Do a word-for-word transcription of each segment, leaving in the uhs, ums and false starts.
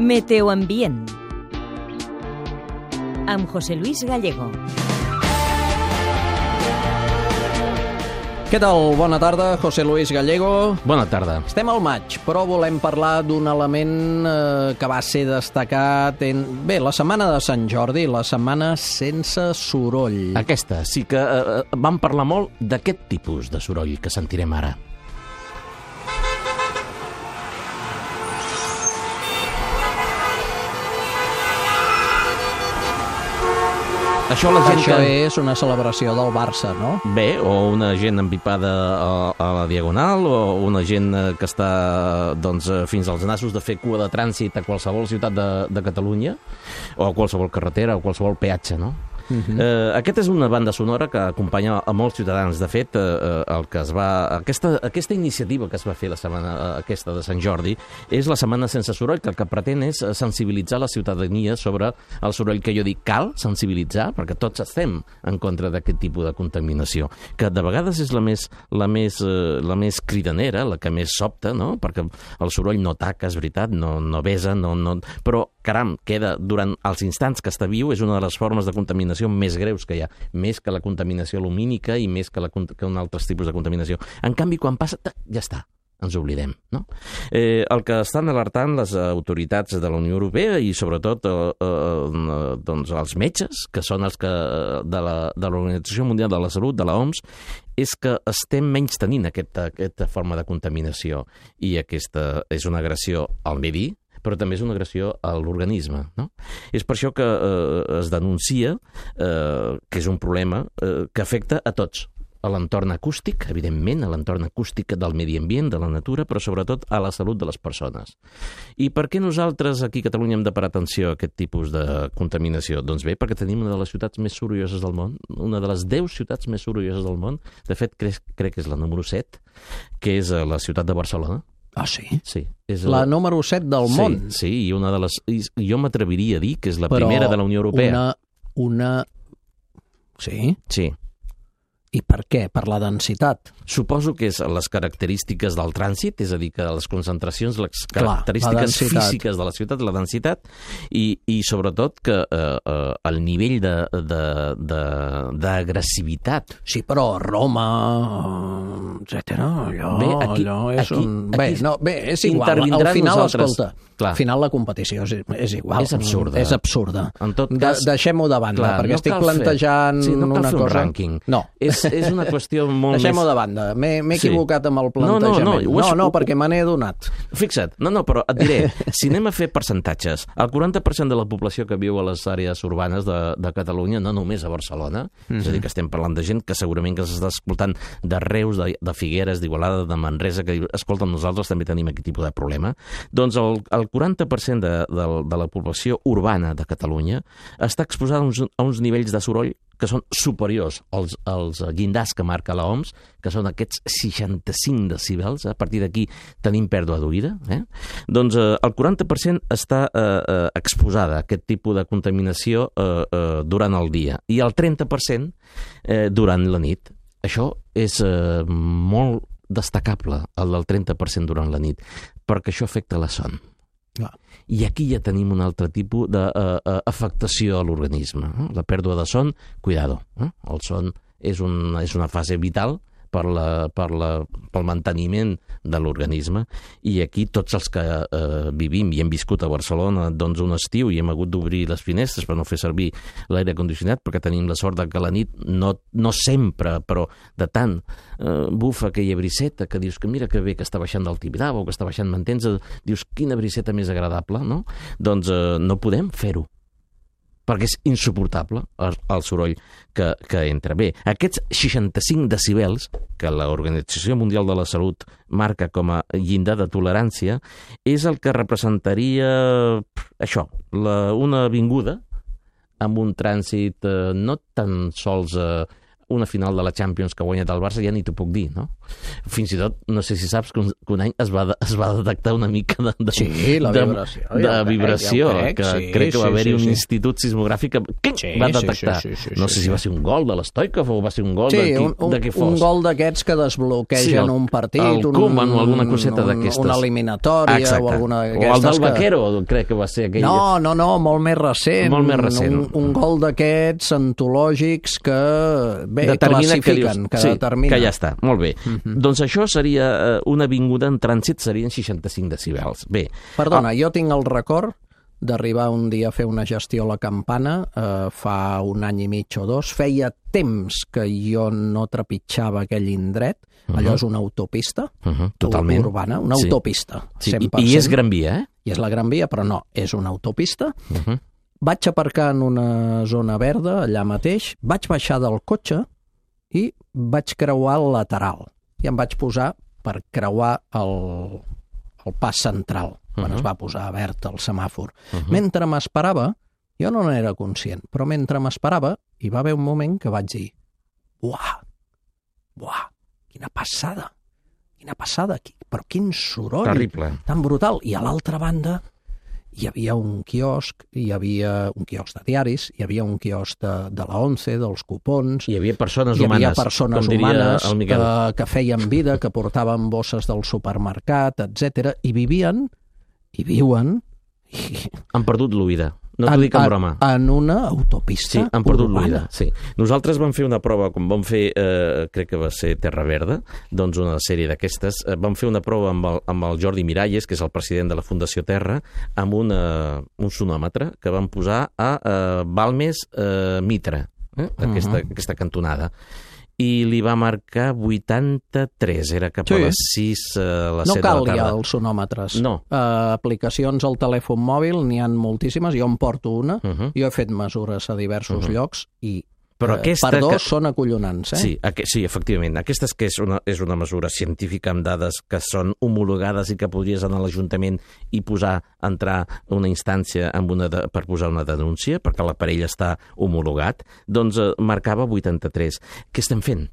Meteoambient amb José Luis Gallego. Què tal? Bona tarda, José Luis Gallego. Bona tarda. Estem al maig, però volem parlar d'un element eh, que va ser destacat en... Bé, la setmana de Sant Jordi, la setmana sense soroll. Aquesta, sí que eh, vam parlar molt d'aquest tipus de soroll que sentirem ara. Això, la gent Això que... és una celebració del Barça, no? Bé, o una gent empipada a, a la Diagonal, o una gent que està doncs, fins als nassos de fer cua de trànsit a qualsevol ciutat de, de Catalunya, o a qualsevol carretera, o qualsevol peatge, no? Uh-huh. eh, aquesta és una banda sonora que acompanya a molts ciutadans. De fet, eh, el que es va, aquesta, aquesta iniciativa que es va fer la setmana aquesta de Sant Jordi és la setmana sense soroll, que el que pretén és sensibilitzar la ciutadania sobre el soroll, que jo dic cal sensibilitzar, perquè tots estem en contra d'aquest tipus de contaminació, que de vegades és la més, la més, eh, la més cridanera, la que més sobta, no? Perquè el soroll no taca, és veritat, no, no besa, no, no... però, caram, queda durant els instants que està viu, és una de les formes de contaminació més greus que hi ha, més que la contaminació lumínica i més que, la, que un altres tipus de contaminació. En canvi, quan passa, ja està, ens oblidem, no? Eh, el que estan alertant les autoritats de la Unió Europea i sobretot eh, eh, doncs els metges, que són els que de la, de l'Organització Mundial de la Salut, de l'O M S, és que estem menys tenint aquesta, aquesta forma de contaminació, i aquesta és una agressió al medi, però també és una agressió a l'organisme, no? És per això que eh, es denuncia eh, que és un problema eh, que afecta a tots, a l'entorn acústic, evidentment, a l'entorn acústic del medi ambient, de la natura, però sobretot a la salut de les persones. I per què nosaltres aquí a Catalunya hem de parar atenció a aquest tipus de contaminació? Doncs bé, perquè tenim una de les ciutats més sorolloses del món, una de les deu ciutats més sorolloses del món, de fet crec, crec que és la número set, que és la ciutat de Barcelona. Ah, sí? Sí. És la, la número set del sí, món. Sí, i una de les... Jo m'atreviria a dir que és la Però primera de la Unió Europea. Una, una... Sí? Sí. I per què? Per la densitat? Suposo que és les característiques del trànsit, és a dir, que les concentracions, les Clar, característiques físiques de la ciutat, la densitat, i, i sobretot que eh, eh, el nivell d'agressivitat... Sí, però Roma, etcètera, allò, bé, aquí, allò és aquí, un... Bé, aquí no, bé, és igual, al final, nosaltres... escolta, Clar. al final la competició és, és igual. És absurda. És absurda. En tot cas... De, deixem-ho de banda, clar, perquè no estic plantejant fer, sí, no cal una fer un cosa... rànquing. No. És, és una qüestió molt Deixem-ho més... de banda. M'he equivocat sí. amb el plantejament. No, no, no, no, no perquè me n'he donat. Fixa't, no, no, però et diré, si anem a fer percentatges, el quaranta per cent de la població que viu a les àrees urbanes de, de Catalunya, no només a Barcelona, mm-hmm. és a dir, que estem parlant de gent que segurament que s'està escoltant de Reus, de, de Figueres, d'Igualada, de Manresa, que diu, escolta, nosaltres també tenim aquest tipus de problema. Doncs el, el quaranta per cent de, de, de la població urbana de Catalunya està exposada a uns, a uns nivells de soroll que són superiors als, als llindars que marca l'O M S, que són aquests seixanta-cinc decibels, a partir d'aquí tenim pèrdua d'oïda, eh? Doncs eh, el quaranta per cent està eh, eh, exposada a aquest tipus de contaminació eh, eh, durant el dia, i el trenta per cent eh, durant la nit. Això és eh, molt destacable, el del trenta per cent durant la nit, perquè això afecta la son. Clar. I aquí ja tenim un altre tipus d'afectació a l'organisme. Eh? La pèrdua de son, cuidado. Eh? El son és, un, és una fase vital per, la, per la, pel manteniment de l'organisme, i aquí tots els que eh, vivim i hem viscut a Barcelona doncs un estiu i hem hagut d'obrir les finestres per no fer servir l'aire condicionat, perquè tenim la sort de que a la nit no, no sempre, però de tant eh, bufa aquella briseta que dius que mira que bé que està baixant del Tibidabo o que està baixant, m'entens? Dius, quina briseta més agradable, no? Doncs eh, no podem fer-ho, perquè és insuportable el, el soroll que, que entra. Bé, aquests seixanta-cinc decibels que l'Organització Mundial de la Salut marca com a llindar de tolerància és el que representaria això, la, una avinguda amb un trànsit eh, no tan sols eh, una final de la Champions que ha guanyat el Barça, ja ni t'ho puc dir, no? Fins i tot, no sé si saps que un, que un any es va, de, es va detectar una mica de, de, sí, la de, vibració, de, de vibració, ja crec, que sí, crec que va sí, haver-hi sí, un sí. institut sismogràfic que sí, va detectar. Sí, sí, sí, sí, no sé sí, si va ser un gol de l'Stoikov o va ser un gol sí, de, qui, un, un, de què fos. un gol d'aquests que desbloquegen sí, el, un partit, el un, Koeman o alguna coseta un, d'aquestes. una eliminatòria Exacte. o alguna d'aquestes. O el del que... Vaquero, crec que va ser aquell... No, no, no, molt més recent. Molt més recent. Un, un gol d'aquests antològics que, bé, determina classifiquen, que, dius, que sí, determinen. que ja està, molt bé. Uh -huh. Doncs això seria eh, una avinguda en trànsit, serien seixanta-cinc decibels. Bé. Perdona, ah. jo tinc el record d'arribar un dia a fer una gestió a la Campana, eh, fa un any i mig o dos. Feia temps que jo no trepitjava aquell indret. Uh -huh. Allò és una autopista uh -huh. Totalment. urbana, una sí. autopista, sí. cent per cent. I, I és Gran Via, eh? I és la Gran Via, però no, és una autopista. Uh -huh. Vaig aparcar en una zona verda, allà mateix, vaig baixar del cotxe i vaig creuar el lateral. I em vaig posar per creuar el, el pas central, quan uh -huh. es va posar verd el semàfor. Uh -huh. Mentre m'esperava, jo no n'era conscient, però mentre m'esperava, hi va haver un moment que vaig dir uah, uah, quina passada, quina passada, però quin soroll terrible, tan brutal. I a l'altra banda hi havia un quiosc, hi havia un quiosc de diaris, hi havia un quiosc de, de la ONCE, dels cupons... Hi havia persones hi havia humanes, persones com humanes el Miquel. que, que feien vida, que portaven bosses del supermercat, etcètera, i vivien, i viuen... I... Han perdut l'oïda. No t'ho dic en broma. En una autopista Sí, han perdut urbana. l'oïda, sí. Nosaltres vam fer una prova, com vam fer, eh, crec que va ser Terra Verda, doncs una sèrie d'aquestes, eh, vam fer una prova amb el, amb el Jordi Miralles, que és el president de la Fundació Terra, amb una, un sonòmetre que vam posar a eh, Balmes eh, Mitra, eh, aquesta, uh -huh. aquesta cantonada. I li va marcar vuitanta-tres, era cap sí. a les sis a les no set de la tarda. No cal ja els sonòmetres. No. Uh, aplicacions al telèfon mòbil, n'hi ha moltíssimes, jo en porto una, uh -huh. jo he fet mesures a diversos uh -huh. llocs i Però aquesta per dos que... són acollonants, eh? Sí, aqu sí, efectivament. Aquesta és que és una, és una mesura científica amb dades que són homologades i que podries anar a l'Ajuntament i posar, entrar una instància amb una de, per posar una denúncia, perquè l'aparell està homologat, doncs eh, marcava vuitanta-tres. Què estem fent?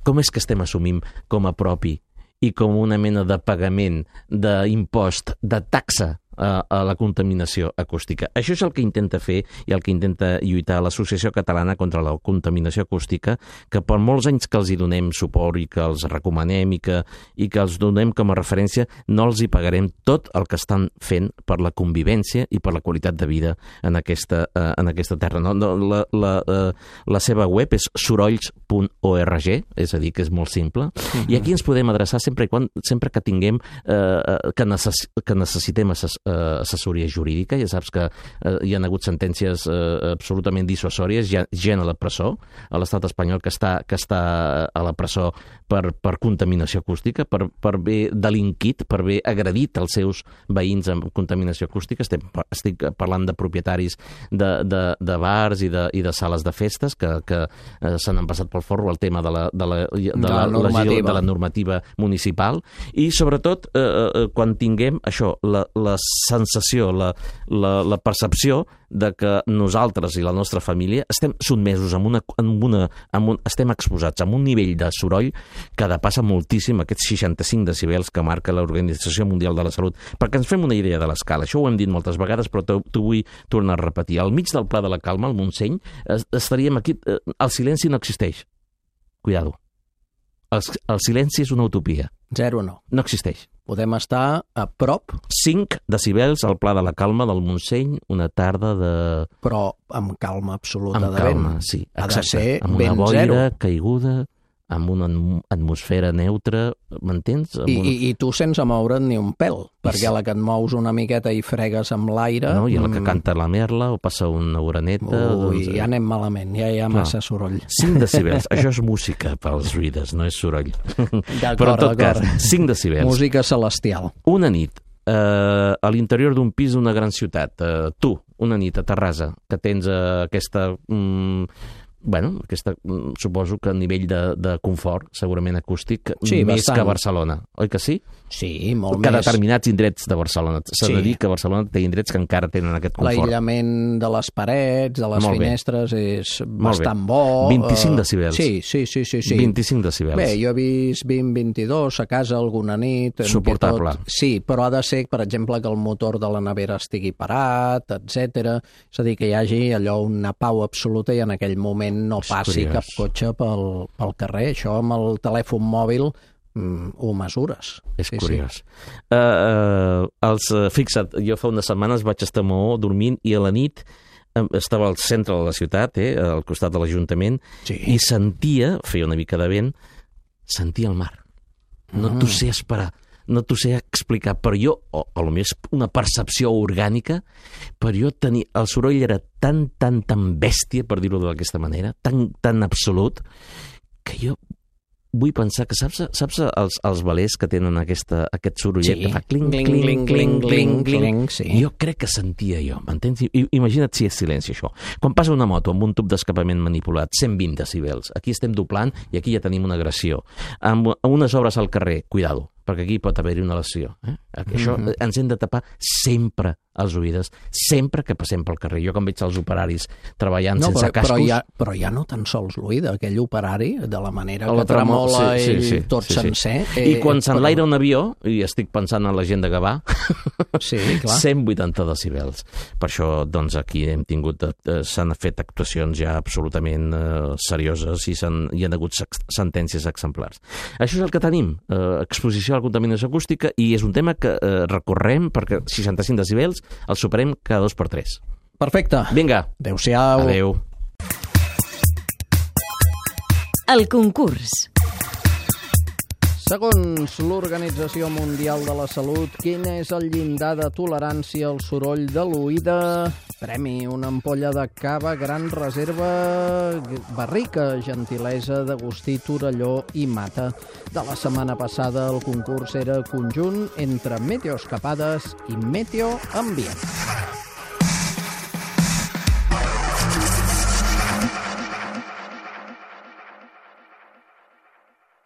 Com és que estem assumint com a propi i com una mena de pagament d'impost, de taxa a, a la contaminació acústica? Això és el que intenta fer i el que intenta lluitar l'Associació Catalana contra la Contaminació Acústica, que per molts anys que els hi donem suport i que els recomanem i que, i que els donem com a referència, no els hi pagarem tot el que estan fent per la convivència i per la qualitat de vida en aquesta, uh, en aquesta terra. No, no, la, la, uh, la seva web és sorolls punt org, és a dir, que és molt simple, uh-huh. i aquí ens podem adreçar sempre, i quan, sempre que tinguem uh, que, necess que necessitem assess Uh, assessoria jurídica. Ja saps que uh, hi ha hagut sentències uh, absolutament dissuasòries, hi ha gent a la presó, a l'estat espanyol que està, que està a la presó per, per contaminació acústica, per, per haver delinquit, per haver agredit els seus veïns amb contaminació acústica. Estem, estic parlant de propietaris de, de, de bars i de, i de sales de festes que, que uh, se n'han passat pel forro el tema de la, de la, de de la, la, normativa. de la normativa municipal, i sobretot uh, uh, quan tinguem això, la, les sensació, la, la, la percepció de que nosaltres i la nostra família estem sotmesos amb una, amb una, amb un, estem exposats a un nivell de soroll que depassa moltíssim aquests seixanta-cinc decibels que marca l'Organització Mundial de la Salut. Perquè ens fem una idea de l'escala, això ho hem dit moltes vegades, però t'ho vull tornar a repetir. Al mig del Pla de la Calma, al Montseny, estaríem aquí, el silenci no existeix. Cuidado. El, el silenci és una utopia. Zero no. No existeix. Podem estar a prop. cinc decibels al Pla de la Calma del Montseny, una tarda de... Però amb calma absoluta amb de vent. Amb calma, sí. Ha exacte. de ser amb vent una boira zero. caiguda, amb una atmosfera neutra, m'entens? I, una... i, I tu sense moure't ni un pèl, perquè a la que et mous una miqueta i fregues amb l'aire... No, i a la que canta la merla o passa una oreneta... Ui, doncs... ja anem malament, ja hi ha massa soroll. cinc decibels, això és música pels readers, no és soroll. Però en tot cas, cinc decibels. Música celestial. Una nit, eh, a l'interior d'un pis d'una gran ciutat, eh, tu, una nit a Terrassa, que tens eh, aquesta... Mm, bueno, aquesta, suposo que a nivell de, de confort, segurament acústic, sí, més bastant. que a Barcelona, oi que sí? Sí, molt que més. determinats indrets de Barcelona. S'ha Sí. de dir que Barcelona té indrets que encara tenen aquest confort. L'aïllament de les parets, de les Molt bé. finestres, és Molt bastant bé. bo. vint-i-cinc eh, decibels. Sí, sí, sí, sí, sí. vint-i-cinc decibels. Bé, jo he vist vint vint-i-dos a casa alguna nit. en què Suportable. Tot... Sí, però ha de ser, per exemple, que el motor de la nevera estigui parat, etcètera. És a dir, que hi hagi allò una pau absoluta i en aquell moment no És passi curiós. cap cotxe pel, pel carrer. Això amb el telèfon mòbil mm, ho mesures. És sí, curiós. Sí. Uh, uh, els, uh, fixa't, jo fa unes setmanes vaig estar a Maó dormint i a la nit um, estava al centre de la ciutat, eh, al costat de l'Ajuntament, Sí. i sentia, feia una mica de vent, sentia el mar. No Mm. t'ho sé esperar, no t'ho sé explicar, però jo, o a lo millor és una percepció orgànica, però jo tenia, el soroll era tan, tan, tan bèstia, per dir-ho d'aquesta manera, tan, tan absolut, que jo vull pensar que saps, saps els, els velers que tenen aquesta, aquest sorollet Sí. que fa cling, Cling, cling, cling, cling, cling, cling, cling, cling, sí. Jo crec que sentia jo, m'entens? I- Imagina't si és silenci, això. Quan passa una moto amb un tub d'escapament manipulat, cent vint decibels, aquí estem doblant i aquí ja tenim una agressió. Amb unes obres al carrer, cuidado, perquè aquí pot haver-hi una lesió. Eh? Això Mhm. ens hem de tapar sempre els oïdes, sempre que passem pel carrer. Jo quan veig els operaris treballant No, sense però, però, cascos... ja, però ja no tan sols l'oïda, aquell operari, de la manera A que la tremol- tremola sí, sí, ell sí, tot sí, sí. sencer. I quan eh, s'enlaira però- un avió, i estic pensant en la gent de Gavà, Sí, clar. cent vuitanta decibels. Per això, doncs, aquí hem tingut, eh, s'han fet actuacions ja absolutament eh, serioses i s'han, hi ha hagut sex- sentències exemplars. Això és el que tenim, eh, exposició a la contaminació acústica, i és un tema que eh, recorrem perquè seixanta-cinc decibels els superem cada dos per tres. Perfecte. Vinga, Adéu-siau. adeu. El concurs. Segons l'Organització Mundial de la Salut, quin és el llindar de tolerància al soroll de l'oïda? Premi, una ampolla de cava Gran Reserva Barrica, gentilesa d'Agustí Torelló i Mata. De la setmana passada el concurs era conjunt entre Meteo Escapades i Meteo Ambient.